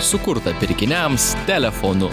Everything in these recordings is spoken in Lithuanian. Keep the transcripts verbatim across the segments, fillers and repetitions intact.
sukurta pirkiniams telefonu.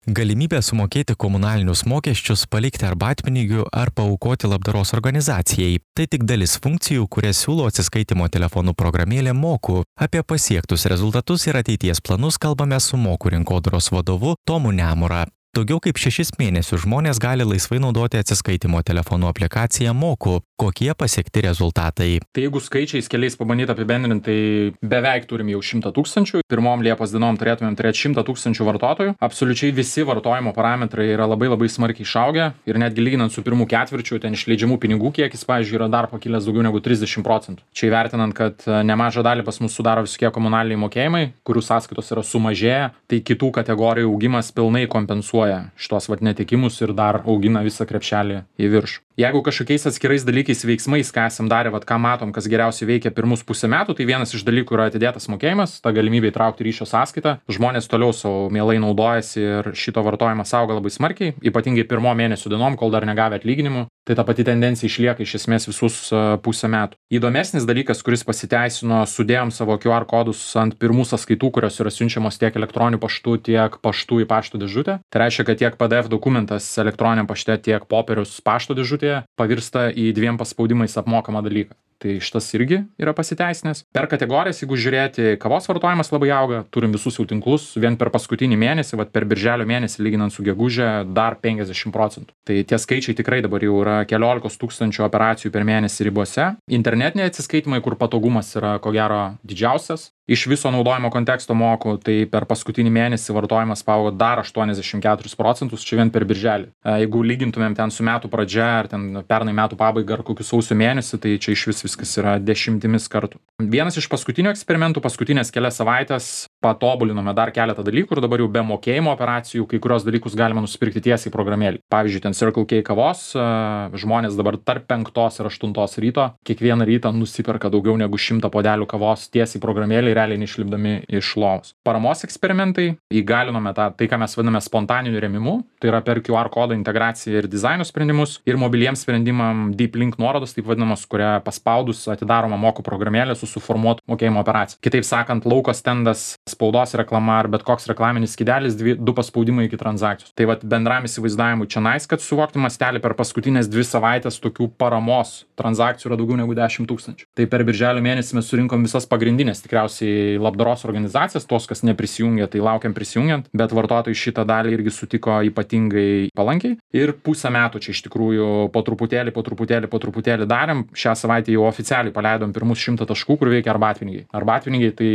Galimybė sumokėti komunalinius mokesčius, palikti arbatpinigių ar paaukoti labdaros organizacijai. Tai tik dalis funkcijų, kurias siūlo atsiskaitimo telefonų programėlė Moku. Apie pasiektus rezultatus ir ateities planus kalbame su Moku rinkodaros vadovu Tomu Nemura. Daugiau kaip šešis mėnesius žmonės gali laisvai naudoti atsiskaitimo telefonų aplikaciją Moku. Kokie pasiekti rezultatai? Tai jeigu skaičiais keliais pabandyti apibendrinti, tai beveik turim jau šimtą tūkstančių. Pirmom Liepos dienom turėtumėm turėti šimtą tūkstančių vartotojų. Absoliučiai visi vartojimo parametrai yra labai labai smarkiai išaugę ir netgi lyginant su pirmų ketvirčiu, ten išleidžiamų pinigų kiekis, pavyzdžiui, yra dar pakilęs daugiau negu trisdešimt procentų. Čia įvertinant, kad nemažą dalį pas mus sudaro visokie komunaliniai mokėjimai, kurių sąskaitos yra sumažėję, tai kitų kategorijų augimas pilnai kompensuoja šitos vat netikimus ir dar augina visą krepšelį į viršų. Jeigu kažkokiais atskirais dalykais veiksmais, ką esam darę, vat ką matom, kas geriausiai veikia pirmus pusę metų, tai vienas iš dalykų yra atidėtas mokėjimas, ta galimybė įtraukti ryšio sąskaitą. Žmonės toliau savo mielai naudojasi ir šito vartojimas auga labai smarkiai, ypatingai pirmo mėnesio dienom, kol dar negavę atlyginimų. Tai ta pati tendencija išlieka iš esmės visus pusę metų. Įdomesnis dalykas, kuris pasiteisino, sudėjom savo Q R kodus ant pirmų sąskaitų, kurios yra siunčiamos tiek elektroniniu paštu, tiek paštu į pašto dėžutę. Tai reiškia, kad tiek P D F dokumentas elektroniniam pašte, tiek popierius pašto dėžutėje pavirsta į dviem paspaudimais apmokamą dalyką. Tai šitas irgi yra pasiteisinęs. Per kategorijas, jeigu žiūrėti, kavos vartojimas labai auga, turim visus jau tinklus, vien per paskutinį mėnesį, vat per birželio mėnesį lyginant su gegužė, dar penkiasdešimt procentų. Tai tie skaičiai tikrai dabar jau yra keliolikos tūkstančių operacijų per mėnesį ribose. Internetiniai atsiskaitimai, kur patogumas yra ko gero didžiausias. Iš viso naudojimo konteksto Moku, tai per paskutinį mėnesį vartojimas paaugo dar aštuoniasdešimt keturis procentus, čia vien per birželį. Jeigu lygintumėm ten su metų pradžia, ar ten pernai metų pabaiga, ar kokiu sausio mėnesį, tai čia iš vis viskas yra dešimtimis kartų. Vienas iš paskutinių eksperimentų, paskutinės kelias savaitės, patobulinome dar keletą dalykų ir dabar jau be mokėjimo operacijų kai kurios dalykus galima nusipirkti tiesiai programėlį. Pavyzdžiui, ten Circle K kavos, žmonės dabar tarp penktos ir aštuntos ryto kiekvieną rytą nusiperka daugiau negu šimtą puodelių kavos tiesiai programėlį, realiai neišlipdami iš lovos. Paramos eksperimentai, įgalinome tą, tai ką mes vadiname spontaniniu rėmimu, tai yra per Q R kodo integraciją ir dizaino sprendimus ir mobiliems sprendimam Deep Link nuorodos, taip vadinamos, kuria paspaudus atidaroma Moku programėlė su suformuotu mokėjimo operacija. Kitaip sakant, lauko stendas, spaudos reklama ar bet koks reklaminis skydelis, dvi, du paspaudimai iki transakcijos. Tai vat bendram įsivaizdavimui čia nais, kad suvokti mastelį per paskutinės dvi savaitės tokių paramos transakcijų yra daugiau negu dešimt tūkstančių. Tai per birželio mėnesį mes surinkom visas pagrindinės tikriausiai labdaros organizacijas, tos, kas neprisijungė, tai laukiam prisijungiant, bet vartotojai šitą dalį irgi sutiko ypatingai palankiai. Ir pusę metų čia iš tikrųjų po truputėlį, po truputėlį, po truputėlį darėm. Šią savaitę jau oficialiai paleidom pirmus šimtą taškų, kur veikia arbatpinigiai. Arbatpinigiai tai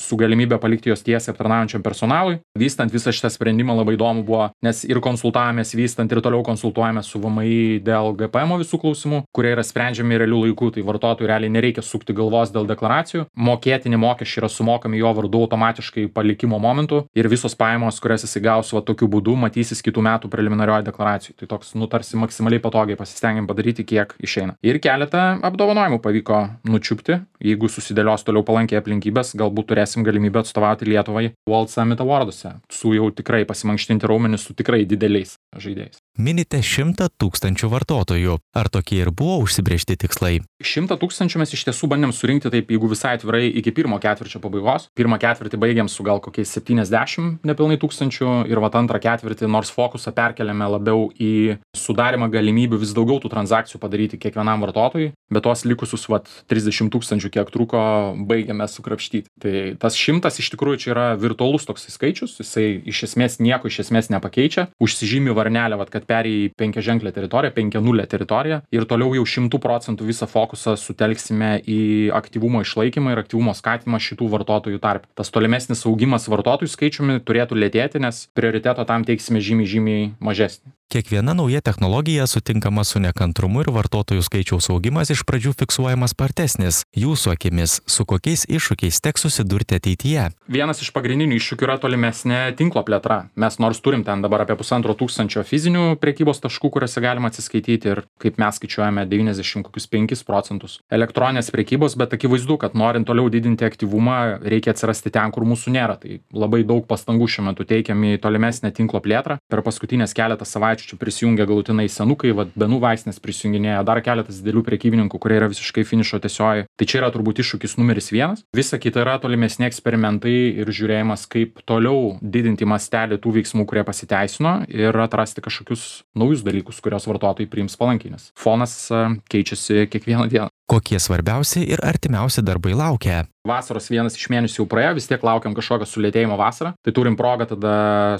su galimybė palikti jos tiesiai aptarnaujančiam personalui. Vystant visą šitą sprendimą labai įdomu buvo, nes ir konsultavomės vystant ir toliau konsultuojamės su V M I dėl G P M visų klausimų, kurie yra sprendžiami realių laikų, tai vartotojui realiai nereikia sukti galvos dėl deklaracijų. Mokėtini mokesčiai yra sumokami jo vardu automatiškai palikimo momentu ir visos pajamos, kurias jis įgaus va tokiu būdu, matysis kitų metų preliminarioje deklaracijoje. Tai toks nutarsi maksimaliai patogiai pasistengiam padaryti, kiek išeina. Ir keletą apdovanojimų pavyko nučiupti. Jeigu susidėlios toliau palankiai aplinkybės, galbūt turėsim galimybę atstovauti Lietuvai World Summit Awarduose. Su jau tikrai pasimankštinti raumenis su tikrai dideliais žaidėjais. Minite šimtą tūkstančių vartotojų. Ar tokie ir buvo užsibrėžti tikslai? Šimtą tūkstančių mes iš tiesų bandėm surinkti taip, jeigu visai atvirai, iki pirmo ketvirčio pabaigos. Pirmą ketvirtį baigėm su gal kokiais septyniasdešimt nepilnai tūkstančių ir vat antrą ketvirtį, nors fokusą perkeliame labiau į sudarimą galimybių vis daugiau tų transakcijų padaryti kiekvienam vartotojui, bet tos likusius vat trisdešimt tūkstančių, kiek truko, baigėme sukrapštyti. Tai tas šimtas iš tikrųjų čia yra virtualus toks skaičius, jisai iš esmės nieko iš esmės nepakeičia. Užsižymi varnelę, vat, kad perėjai į penkiaženklę teritoriją, penkianulę teritoriją ir toliau jau šimtų procentų visą fokusą sutelksime į aktyvumo išlaikymą ir aktyvumo skatinimą šitų vartotojų tarp. Tas tolimesnis augimas vartotojų skaičiumi turėtų lėtėti, nes prioriteto tam teiksime žymiai, žymiai mažesnį. Kiekviena nauja technologija sutinkama su nekantrumu ir vartotojų skaičiaus augimas iš pradžių fiksuojamas spartesnis. Jūsų akimis, su kokiais iššūkiais teks susidurti ateityje? Vienas iš pagrindinių iššūkių yra tolimesnė tinklo plėtra. Mes nors turim ten dabar apie pusantro tūkstančio fizinių prekybos taškų, kuriuose galima atsiskaityti ir kaip mes skaičiuojame devyniasdešimt penkis procentus elektroninės prekybos, bet akivaizdu, kad norint toliau didinti aktyvumą, reikia atsirasti ten, kur mūsų nėra. Tai labai daug pastangų šiuo metu teikiam į tolimesnę tinklo plėtrą. Per paskutinės keletą savaičių giminaičių čia prisijungia galutinai senukai, vat Benų vaistinės prisijunginėja, dar keletas didelių prekybininkų, kurie yra visiškai finišo tiesioji. Tai čia yra turbūt iššūkis numeris vienas. Visa kita yra tolimesni eksperimentai ir žiūrėjimas, kaip toliau didinti mastelį tų veiksmų, kurie pasiteisino ir atrasti kažkokius naujus dalykus, kurios vartotojai priims palankiai, nes fonas keičiasi kiekvieną dieną. Kokie svarbiausi ir artimiausi darbai laukia? Vasaros vienas iš mėnesių jau praėjo, vis tiek laukiam kažkokio sulėtėjimo vasarą. Tai turim progą tada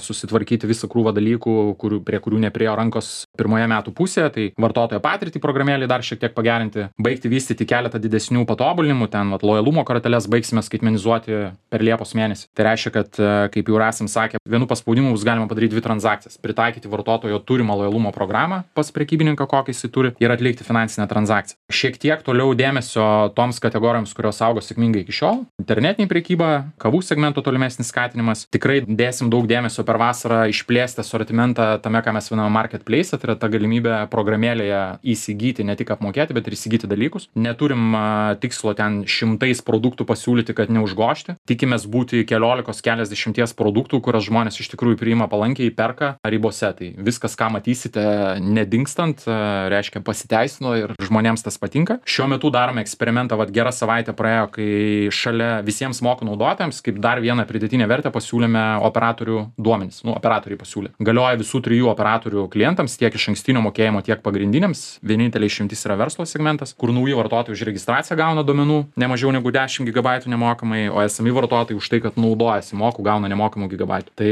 susitvarkyti visą krūvą dalykų, kurių, prie kurių nepriejo rankos pirmoje metų pusėje. Tai vartotojo patirtį programėlį dar šiek tiek pagerinti, baigti vystyti keletą didesnių patobulinimų, ten vat, lojalumo korteles baigsime skaitmenizuoti per Liepos mėnesį. Tai reiškia, kad, kaip jau esam sakę, vienu paspaudimu bus galima padaryti dvi transakcijas. Pritaikyti vartotojo turimą lojalumo programą pas prekybininką, kokį jis turi, ir atlikti finansinę transakciją. Šiek tiek toliau dėmesio toms kategorijoms, kurios augo sėkmingai iki šiol. Internetinė prekyba, kavų segmento tolimesnis skatinimas. Tikrai dėsim daug dėmesio per vasarą išplėsti asortimentą tame, ką mes vadiname marketplace, tai yra ta galimybė programėlėje įsigyti, ne tik apmokėti, bet ir įsigyti dalykus. Neturim tikslo ten šimtais produktų pasiūlyti, kad neužgošti. Tikimės būti keliolikos, keliasdešimties produktų, kurias žmonės iš tikrųjų priima palankiai, perka ribose. Tai viskas, ką matysite nedingstant, reiškia pasiteisino ir žmonėms tas patinka. Šiuo metu darome eksperimentą, vat gera savaitė praėjo, kai šalia visiems mokų naudotojams, kaip dar vieną pridėtinę vertę pasiūlėme operatorių duomenis. Nu, operatoriai pasiūlė. Galioja visų trijų operatorių klientams, tiek iš ankstinio mokėjimo, tiek pagrindiniams. Vienintelė išimtis yra verslo segmentas, kur nauji vartotojai už registraciją gauna duomenų ne mažiau negu dešimt gigabaitų nemokamai, o esami vartotojai už tai, kad naudojasi mokų, gauna nemokamų gigabaitų. Tai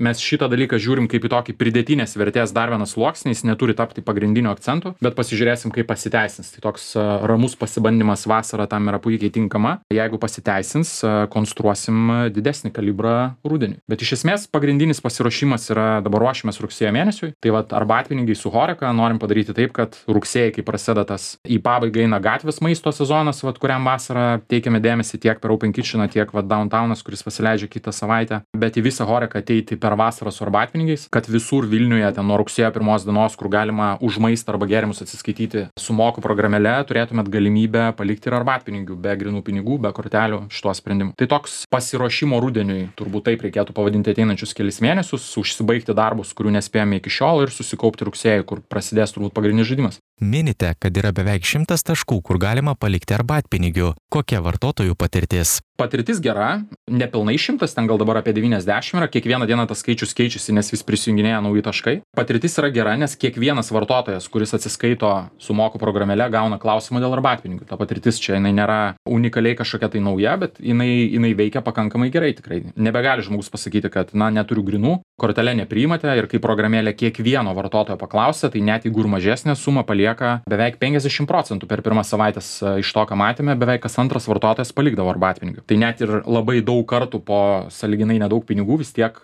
mes šitą dalyką žiūrim kaip į tokį pridėtinės vertės dar vienas sluoksnis, jis neturi tapti pagrindiniu akcentu, bet pasižiūrėsim, kaip pasiteisins. Tai toks ramus pasibandymas vasarą tam yra puikiai tinkama. Jeigu pasiteisins, konstruosim didesnį kalibrą rudeniui. Bet iš esmės pagrindinis pasiruošimas yra dabar ruošimas rugsėjo mėnesiui. Tai vat arbatpinigiai su Horeca norim padaryti taip, kad rugsėjai, kai prasideda tas į pabaigą eina gatvės maisto sezonas, vat kuriam vasarą teikiame dėmesį tiek per Open Kitcheną, tiek vat Downtownas, kuris pasileidžia kitą savaitę, bet į visą Horeca ateiti per vasarą su arbatpinigiais, kad visur Vilniuje ten nuo rugsėjo pirmos dienos, kur galima už maistą arba gėrimus atsiskaityti su mokų programėle, turėtumėt galimybę palikti ir arbatpinigių be grinų pinigų, be kortelių šituo sprendimu. Tai toks pasiruošimo rudeniui, turbūt taip reikėtų pavadinti ateinančius kelis mėnesius, užsibaigti darbus, kurių nespėjome iki šiol ir susikaupti rugsėjį, kur prasidės turbūt pagrindinis žaidimas. Minite, kad yra beveik šimtas taškų, kur galima palikti arbatpinigių. Kokia vartotojų patirtis? Patirtis gera, nepilnai šimtas, ten gal dabar apie devyniasdešimt yra, kiekvieną dieną tas skaičius keičiasi, nes vis prisijunginėja nauji taškai. Patirtis yra gera, nes kiekvienas vartotojas, kuris atsiskaito su mokų programėle, gauna klausimą dėl arbatpinigių. Ta patirtis čia jinai nėra unikaliai kažkokia tai nauja, bet jinai, jinai veikia pakankamai gerai tikrai. Nebegali žmogus pasakyti, kad na neturiu grinų, kortelę nepriimate ir kai programėlė kiekvieno vartotojo paklausia, tai net jeigu ir mažesnė suma palieka beveik penkiasdešimt procentų per pirmas savaitės iš to, ką matėme, beveik kas antras vartotojas palikdavo arbatpinigių. Tai net ir labai daug kartų po sąlyginai nedaug pinigų vis tiek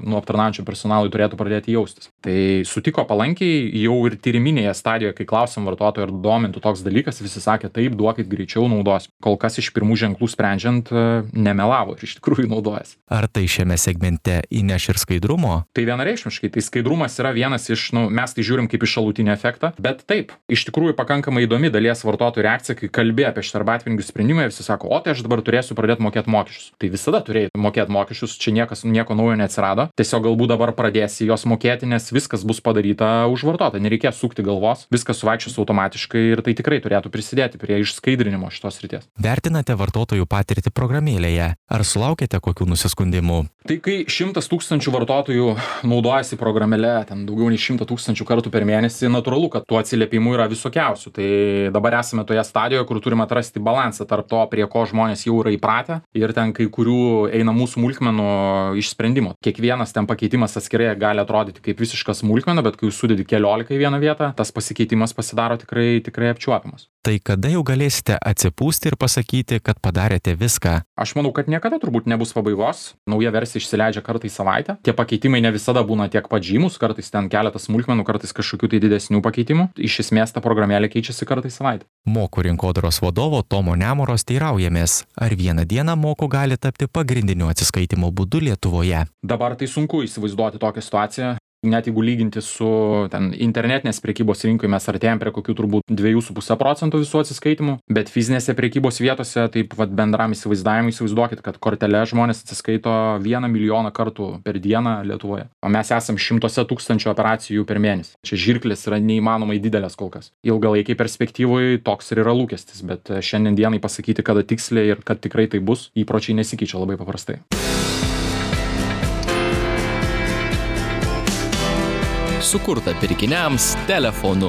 nu aptarnaujančiam personalui turėtų pradėti jaustis. Tai sutiko palankiai, jau ir tyriminėje stadijoje, kai klausėm vartotojų ar domintų toks dalykas, visi sakė taip, duokit greičiau naudos. Kol kas iš pirmų ženklų sprendžiant nemelavo ir iš tikrųjų naudojasi. Ar tai šiame segmente įneš ir skaidrumo? Tai vienareikšmiškai, tai skaidrumas yra vienas iš, nu, mes tai žiūrim kaip iš šalutinį efektą, bet taip, iš tikrųjų pakankamai įdomi dalies vartotojų reakcija, kai kalbė apie šitą arbatpinigių sprendimą, visi sako, o tai aš dabar turėsiu pradėti mokėti mokesčius. Tai visada turėjai mokėti mokesčius, čia niekas nieko naujo neatsirado. Tiesiog galbūt dabar pradėsi jos mokėti, nes viskas bus padaryta už vartotoją, nereikės sukti galvos, viskas suvaikščios automatiškai ir tai tikrai turėtų prisidėti prie išskaidrinimo šitos srities. Vertinate vartotojų patirtį programėlėje. Ar sulaukėte kokių nusiskundimų? Tai kai šimtas tūkstančių vartotojų naudojasi programėle, ten daugiau nei šimtą tūkstančių kartų per mėnesį, natūralu, kad tų atsiliepimų yra visokiausių. Tai dabar esame toje stadijoje, kur turime atrasti balansą tarp to, prie ko žmonės jau yra įpratę ir ten kai kurių einamų smulkmenų išsprendimo. Kiekvienas ten pakeitimas atskirai gali atrodyti kaip visiška smulkmena, bet kai jūs sudedi keliolika į vieną vietą, tas pasikeitimas pasidaro tikrai, tikrai apčiuopiamas. Tai kada jau galėsite atsipūsti ir pasakyti, kad padarėte viską? Aš manau, kad niekada turbūt nebus pabaigos. Nauja versija išsileidžia kartą į savaitę. Tie pakeitimai ne visada būna tiek pat žymus, kartais ten keletas smulkmenų, kartais kažkokių tai didesnių pakeitimų. Iš esmės ta programėlė keičiasi kartą į savaitę. Mokų rinkodaros vadovo Tomo Nemoros teiraujamės, ar vieną dieną mokų gali tapti pagrindiniu atsiskaitimo būdu Lietuvoje. Dabar tai sunku įsivaizduoti tokią situaciją. Net jeigu lyginti su ten internetinės prekybos rinkoje, mes artėjom prie kokių turbūt dva su puse procento visų atsiskaitimų, bet fizinėse prekybos vietose, taip vat bendram įsivaizdavimui įsivaizduokit, kad kortele žmonės atsiskaito vieną milijoną kartų per dieną Lietuvoje, o mes esam šimtuose tūkstančių operacijų per mėnesį. Čia žirklės yra neįmanomai didelės kol kas. Ilgalaikiai perspektyvui toks ir yra lūkestis, bet šiandien dienai pasakyti, kada tiksliai ir kad tikrai tai bus, įpročiai nesikeičia labai paprastai. Sukurta pirkiniams telefonu.